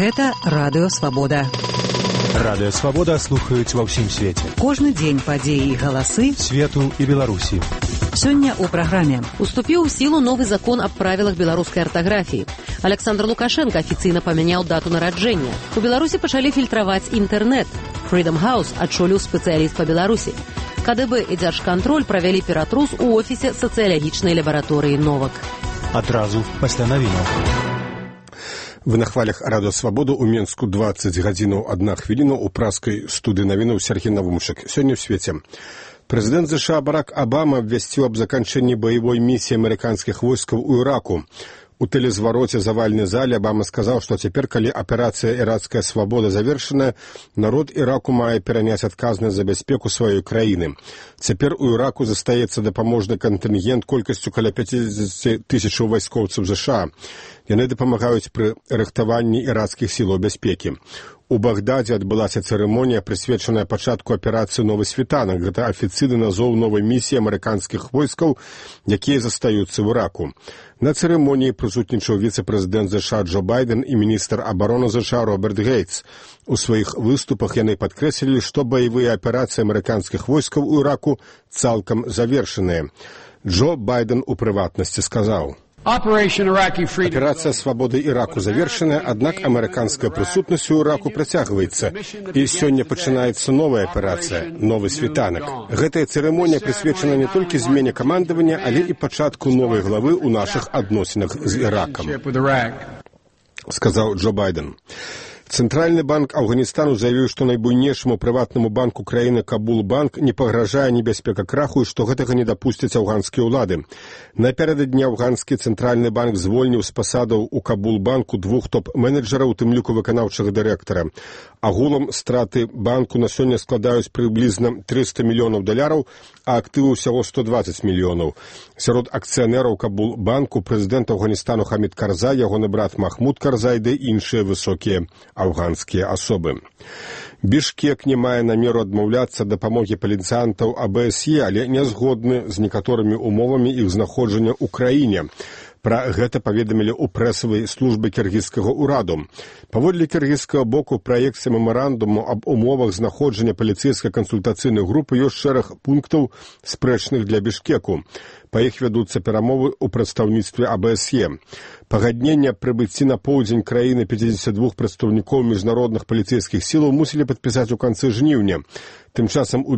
Гэта Радыё Свабода. Радыё Свабода слухаюць ва ўсім свеце. Кожны дзень падзеі і галасы свету і Беларусі. Сёння ў праграме. Уступіў у сілу новы закон аб правілах беларускай артаграфіі. Александр Лукашенко афіцыйна памяняў дату нараджэння. У Беларусі пачалі фільтраваць інтэрнэт. Freedom House адчоліў спецыяліст па Беларусі. КДБ і Дзяржкантроль правялі ператрус у офісе сацыялагічнай лабараторыі «Новак». Адразу пасля навінаў. Вы на хвалях Радыё Свабоду ў Менску 20 гадзінаў 1 хвіліну ў праскай студыі навінаў Сергей Навумчык. Сёння ў свеце. Прэзідэнт США Барак Абама абвясціў аб заканчэнні баявой місіі амерыканскіх войскаў у Іраку. У тэлезвароце завальнай зале Абама сказаў, што цяпер, калі аперацыя «Іракская свабода» завершаная, народ Іраку мае пераняць адказнасць за бяспеку сваёй краіны. Цяпер у Іраку застаецца дапаможны кантынгент колькасцю каля 50 тысячаў вайскоўцаў США. Яны дапамагаюць пры рыхтаванні іракскіх сілаў бяспекі. У Багдадзе адбылася цырымонія, прысвечаная пачатку аперацыі «Новы світанак». Гэта афіцыйны назоў новай місіі амерыканскіх войскаў, якія застаюцца ў Іраку. На цырымоніі прысутнічаў віцэ-прэзідэнт США Джо Байден і міністр абароны США Роберт Гейтс. У сваіх выступах яны падкрэслілі, што баявыя аперацыі амерыканскіх войскаў у Іраку цалкам завершаныя. Джо Байден у прыватнасці сказаў: «Аперацыя свабоды Іраку завершаная, аднак амерыканская прысутнасць у Іраку працягваецца. І сёння пачынаецца новая аперацыя «Новы світанак». Гэтая цырымонія прысвечана не толькі змене камандавання, але і пачатку новай главы ў нашых адносінах з Іракам», сказаў Джо Байден. Цэнтральны банк Афганістану заявіў, што найбуйнейшаму прыватнаму банку краіны Кабул-банк не пагражае небяспека краху і што гэтага не дапусцяць афганскія ўлады. Напярэдадні афганскі цэнтральны банк звольніў з пасадаў у Кабул-банку 2 топ-менеджараў, у тым ліку выканаўчага дырэктара. Агулам страты банку на сёння складаюць прыблізна $300 мільёнаў, а актывы ўсяго 120 мільёнаў. Сярод акцыянераў Кабул-банку прэзідэнт Афганістану Хамід Карзай, ягоны брат Махмуд Карзай ды іншыя высокія афганскія асобы. Бішкек не мае намеру адмаўляцца ад дапамогі паліцыянтаў АБСЕ, але не згодны з некаторымі умовамі іх знаходжання ў краіне. Пра гэта паведамілі ў прэсавай службе кіргізскага ўраду. Паводле кіргізскага боку, у праекце мемарандуму аб умовах знаходжання паліцэйскай кансультацыйнай групы ёсць шэраг пунктаў, спрэчных для Бішкеку. Па іх вядуцца перамовы ў прадстаўніцтве АБСЕ. Пагадненне аб прыбыцці на поўдзень краіны 52 прадстаўнікоў міжнародных паліцэйскіх сілаў мусілі падпісаць у канцы жніўня. Тым часам у